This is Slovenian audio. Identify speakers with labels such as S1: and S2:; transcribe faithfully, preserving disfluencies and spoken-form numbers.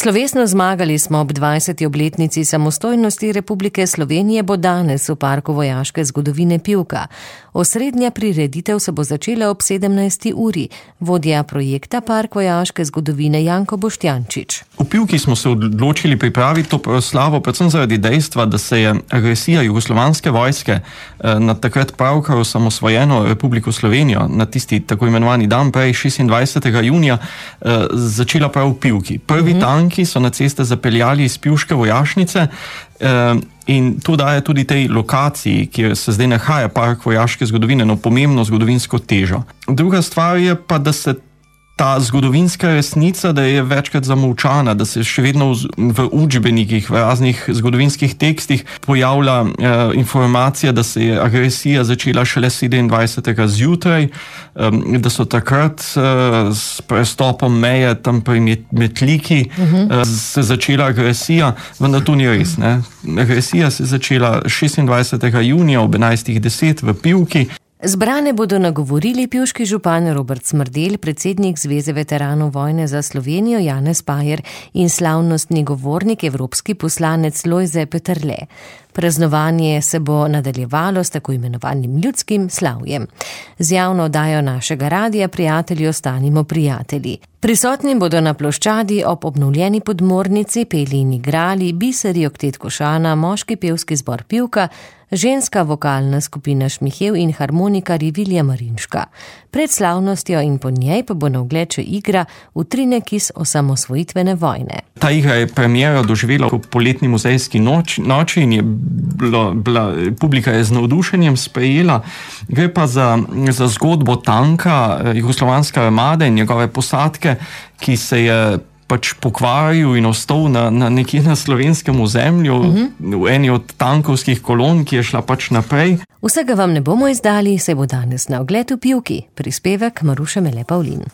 S1: Slovesno zmagali smo ob dvajseti obletnici samostojnosti Republike Slovenije bo danes v Parku vojaške zgodovine Pivka. Osrednja prireditev se bo začela ob sedemnajsti uri. Vodja projekta Park vojaške zgodovine Janko Boštjančič.
S2: V Pivki smo se odločili pripraviti to proslavo predvsem zaradi dejstva, da se je agresija jugoslovanske vojske na takrat pravkar osamosvojeno Republiko Slovenijo na tisti tako imenovani dan prej šestindvajsetega junija začela prav v Pivki. Prvi mm-hmm. tanki so na ceste zapeljali iz pivške vojašnice in to daje tudi tej lokaciji, kjer se zdaj nahaja Park vojaške zgodovine, no pomembno zgodovinsko težo. Druga stvar je pa, da se ta zgodovinska resnica, da je večkrat zamolčana, da se še vedno v, v učbenikih, v raznih zgodovinskih tekstih pojavlja eh, informacija, da se je agresija začela šele sedemindvajsetega zjutraj, eh, da so takrat eh, s prestopom meje tam pri Metliki uh-huh. eh, se začela agresija, vendar to ni res. Ne? Agresija se je začela šestindvajsetega junija ob enajstih deset v Pivki.
S1: Zbrane bodo nagovorili pivški župan Robert Smrdelj, predsednik Zveze veteranov vojne za Slovenijo Janez Pajer in slavnostni govornik, evropski poslanec Lojze Peterle. Praznovanje se bo nadaljevalo s tako imenovanim ljudskim slavjem. Z javno oddajo našega radija Prijatelji ostanimo prijatelji. Prisotni bodo na ploščadi ob obnovljeni podmornici peli in igrali Biseri oktet Košana, moški pevski zbor Pivka, ženska vokalna skupina Šmihev in harmonikar Vilija Marinška. Pred slavnostjo in po njej pa bo na ogled še igra Utrinek iz osamosvojitvene vojne.
S2: Ta igra je premiero doživela v poletni muzejski noč, noči in je bila, bila, publika je z navdušenjem sprejela. Gre pa za, za zgodbo tanka jugoslovanske armade in njegove posadke, ki se je pač pokvaril in ostal na, na nekje na slovenskem ozemlju, uh-huh. v eni od tankovskih kolon, ki je šla pač naprej.
S1: Vsega vam ne bomo izdali, se bo danes na ogled v Pivki. Prispevek Maruše Mele Pavlin.